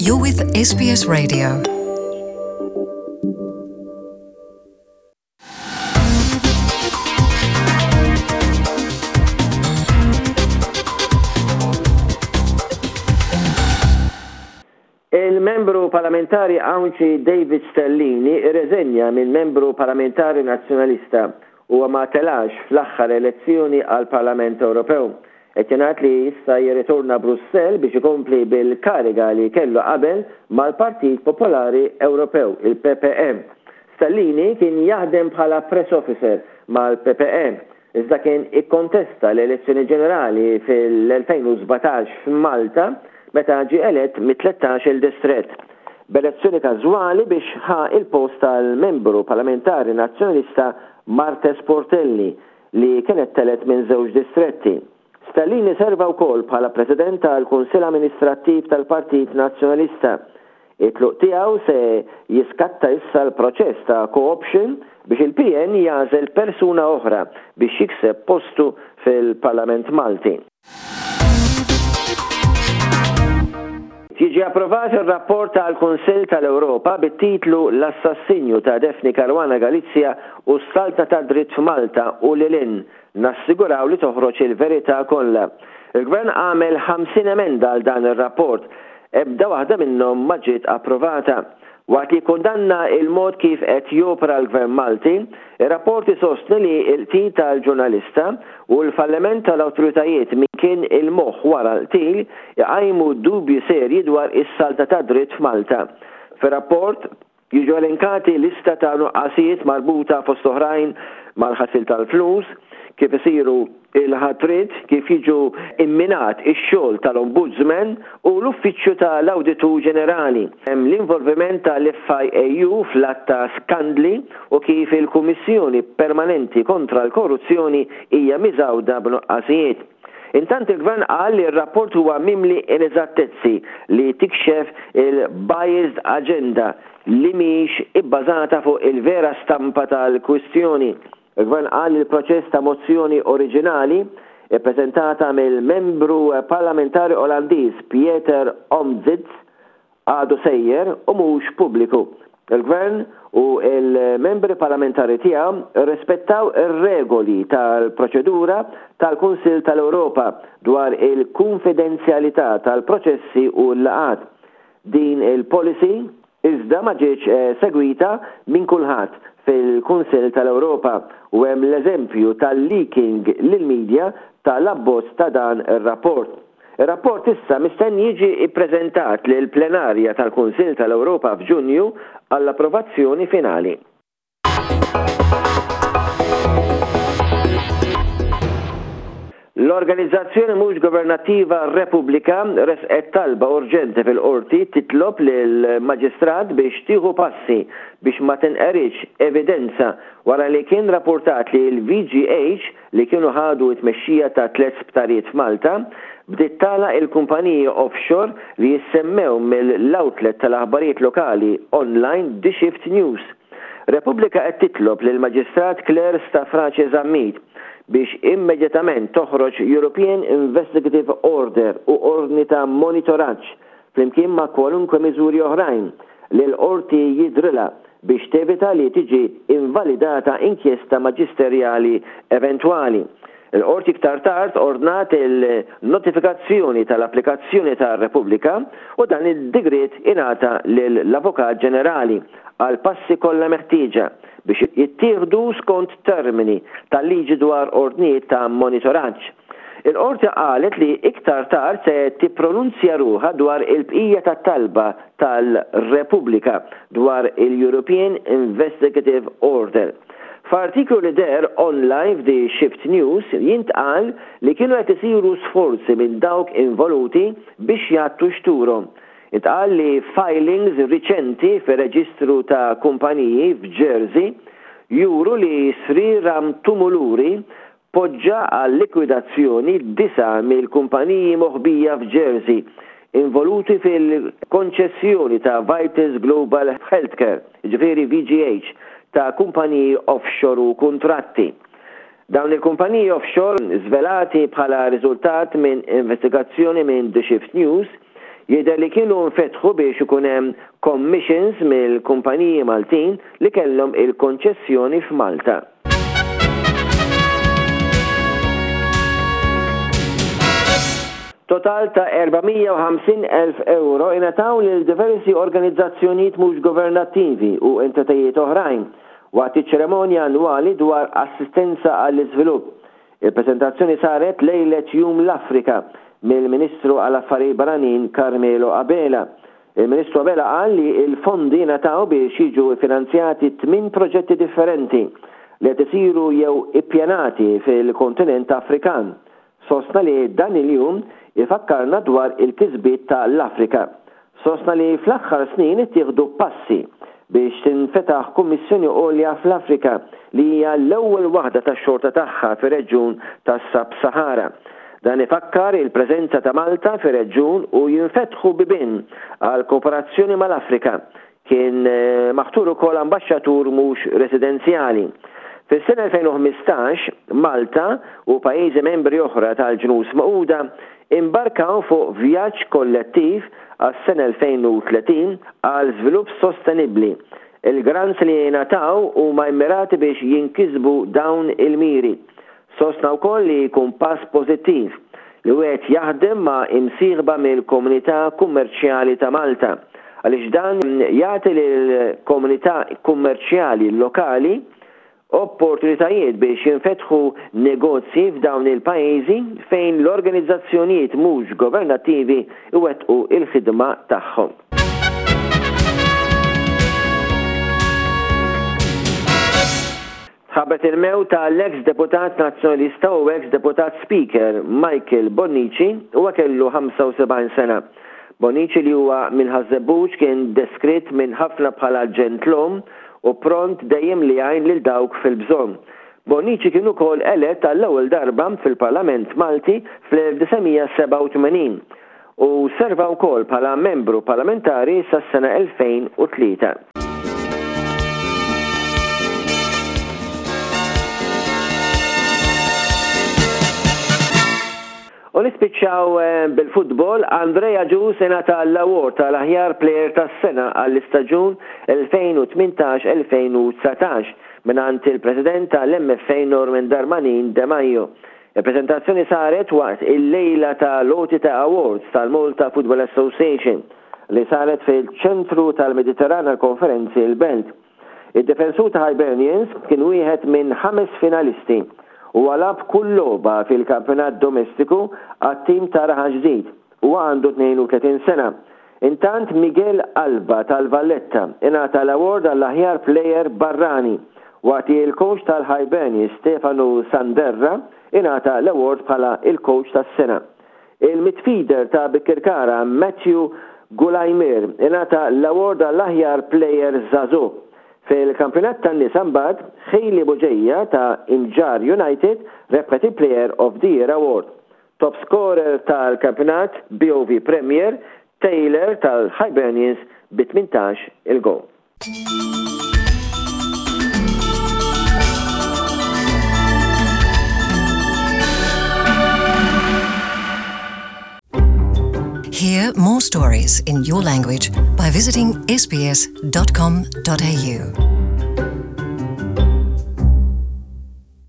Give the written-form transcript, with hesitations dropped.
You're with SBS Radio. Il-Membru Parlamentari Għawdxi David Stellini rreżenja minn Membru Parlamentari Nazzjonalista. Huwa ma telax fl-aħħar elezzjoni għall-Parlament Ewropew. Qed jingħad li issa jirritorna Brussell biex ikompli bil-kariga li kellu qabel mal-Partit Popolari Ewropew, il-PPE. Stellini kien jaħdem bħala press officer mal-PPE, iżda kien ikkontesta l-elezzjoni ġenerali fil-2017 f'Malta meta ġie elett mit-tlettax-il distrett, b'elezzjoni każwali biex ħa l-post tal-Membru Parlamentari Nazzjonalista Marthese Portelli li kienet telgħet minn żewġ distretti. Stellini serva wkoll bħala President tal-Kunsill Amministrattiv tal-Partit Nazzjonalista. It-tluq tiegħu se jiskatta issa l-proċess ta' co-option biex il-PN jagħżel persuna oħra biex jikseb postu fil-Parlament Malti. Jiġi approvat ir-rapport tal-Kunsill tal-Ewropa bit-titlu L-assassinju ta' Daphne Caruana Galizia u s-saltna tad-dritt f'Malta u lil hinn, nassiguraw li toħroġ il-verità kollha. Il-Gvern għamel 50 emenda għal dan ir-rapport. Ebda waħda minnhom ma ġiet approvata. Waqt li jikkundanna il-mod kif qed jopera l-Gvern Malti, ir-rapport isostni li l-qtil tal-ġurnalista u l-falliment tal-awtoritajiet min kien il-moħħ wara l-qtil iqajmu dubji serji dwar is-saltna tad-dritt f'Malta. Fir-rapport jiġu elenkati lista ta' nuqqasijiet marbuta fost oħrajn mal-ħasil tal-flus, kif isiru il-ħatriet, kif jiġu imminat ix-xogħol tal-Ombudsman u l-Uffiċċju ta' l-Awditur Ġenerali, l-involviment ta' l-FIAU fl-għadd ta' skandli u kif il-Kummissjoni Permanenti kontra l-Korruzzjoni hija miżgħuda b'nuqqasijiet. Intant il-Gvern qal li r-rapport huwa mimli ineżattezzi li tikxef il-biased agenda li mhix ibbażata fuq il-vera stampa tal-kwistjoni. Il-Gvern qal li l-proċess ta' mozzjoni oriġinali, ippreżentata mill-Membru Parlamentari Olandiż Pieter Omtzigt, għadu sejjer u mhux pubbliku. Il-Gvern u l-Membri Parlamentari tiegħu rrispettaw ir-regoli tal-proċedura tal-Kunsill tal-Ewropa dwar il-kunfidenzjalità tal-proċessi u l-laqgħat. Din il-policy iżda ma ġietx segwita minn kulħadd fil-Kunsill tal-Ewropa u hemm l-eżempju tal-leaking lill-media tal-abbozz ta' dan ir-rapport. Ir-rapport issa mistenni jiġi ppreżentat lill-plenarja tal-Kunsill tal-Ewropa f'Ġunju għall-approvazzjoni finali. L-organizzazzjoni mhux governattiva Repubblika ressqet talba urġenti fil-Qorti titlob lill-Maġistrat biex tieħu passi biex ma tinqeridx evidenza wara li kien rappurtat li l-VGH li kienu ħadu t-tmexxija ta' tlett sptarijiet f'Malta bdiet tagħlaq il-kumpaniji offshore li jissemmew mill-outlet tal-aħbarijiet lokali online The Shift News. Repubblika qed titlob lill-Maġistrat Claire Stafrace Zammit biex immedjatament toħroġ European Investigative Order u ordni ta' monitoraġġ flimkien ma' kwalunkwe miżuri oħrajn li l-Qorti jidhrilha biex tevita li tiġi invalidata inkjesta maġisterjali eventwali. Il-Qorti iktar tard ordnat il-notifikazzjoni tal-applikazzjoni ta' Repubblika u dan id-digriet ingħata lill-Avukat Ġenerali għall-passi kollha meħtieġa biex jittieħdu skont termini tal-liġi dwar ordnijiet ta' monitoraġġ. Il-Qorti qalet li iktar tard se tippronunzja ruħha dwar il-bqija tat-talba tal-Repubblika dwar il-European Investigative Order. F'artiklu li deher online f'The Shift News jintqal li kienu qed isiru sforzi minn dawk involuti biex jgħattu xturhom. Intqal li filings riċenti fir-reġistru ta' kumpaniji f'Jersey juru li Sriram Tumuluri poġġa għal-likwidazzjoni disa' mill-kumpaniji moħbija f'Jersey involuti fil-konċessjoni ta' Vitas Global Healthcare, jiġifieri VGH, ta' kumpaniji offshore u kuntratti. Dawn il-kumpaniji offshore, żvelati bħala riżultat minn investigazzjoni minn The Shift News, Jidher li kienu nfetħu biex ikun hemm commissions mill-kumpaniji Maltin li kellhom il-konċessjoni f'Malta. Total ta' 450,000 ewro ingħataw lil diversi organizzazzjonijiet mhux governattivi u entitajiet oħrajn waqt iċ-ċerimonja annwali dwar assistenza għall-iżvilupp. Il-preżentazzjoni saret lejlet Jum l-Afrika mill-Ministru għal Affarijiet Barranin Carmelo Abela. Il-Ministru Abela qal li l-fondi ngħataw biex jiġu ffinanzjati tminn proġetti differenti li qed isiru jew ippjanati fil-kontinent Afrikan. Sostna li dan il-jum ifakkarna dwar il-kisbiet ta' l-Afrika. Sostna li fl-aħħar snin ittieħdu passi biex tinfetaħ Kummissjoni Għolja fl-Afrika li hija l-ewwel waħda tax-xorta tagħha fir-reġjun tas-Sub-Sahara. Dan ifakkar il-preżenza ta' Malta fir-reġjun u jinfetħu bibien għal kooperazzjoni mal-Afrika. Kien maħtur ukoll ambaxxatur mhux residenzjali. Fis-sena 2015, Malta u pajjiżi membri oħra tal-Ġnus Magħquda imbarkaw fuq vjaġġ kollettiv għas-sena 2030 għal żvilupp sostenibbli. Il-grants li jingħataw huma mmirati biex jinkisbu dawn il-miri. Sostna wkoll li jkun pass pożittiv li wieħed jaħdem ma' imsieħba mill-komunità kummerċjali ta' Malta għaliex dan jagħti lill-komunità kummerċjali lokali opportunitajiet biex jinfetħu negozji f'dawn il-pajjiżi fejn l-organizzazzjonijiet mhux governattivi jwettqu l-ħidma tagħhom. Tħabbret il-mewt ta' l-eks Deputat Nazzjonalista u eks Deputat Speaker Michael Bonnici, huwa kellu 75 sena. Bonnici li huwa minn Ħaż-Żebbuġ kien deskritt minn ħafna bħala ġentlom u pront dejjem li jgħin lil dawk fil-bżonn. Bonnici kien ukoll elett għall-ewwel darba fil-Parlament Malti fl-1987 u serva wkoll bħala membru parlamentari sas-sena 2003. U nispiċċaw eh, bil-futbol, Andrea Agius ingħata l-award tal-aħjar plejer tas-sena għall-istaġun 2018-2019 mingħand il-President tal-MFA Norman Darmanin Demajo. Il-preżentazzjoni saret waqt il-lejla ta' l-għoti ta' awards tal-Malta Football Association li saret fil-Ċentru tal-Mediterran għall-Konferenzi l-Belt. Id-difensur ta' Hibernians kien wieħed minn ħames finalisti. Huwa lagħab kull logħba fil-kampjonat domestiku għat-tim ta' Raħal Ġdid. Huwa għandu 32 sena. Intant Miguel Alba tal-Valletta ingħata l-award għall-aħjar plejer barrani waqt li l-kowċ tal-Hibernians Stefano Sanderra ingħata l-award bħala l-kowċ tas-sena. Il-midfielder ta' Birkirkara Matthew Gulaimir ingħata l-award għall-aħjar plejer żagħżugħ. Fil-kampjonat tan-nisa mbagħad Hailey Bugeja ta' Imġarr United rebħet il-Player of the Year Award. Top scorer tal-kampjonat BOV Premier, Taylor tal-Hibernians bi 18 il-gowl. Hear more stories in your language by visiting sbs.com.au.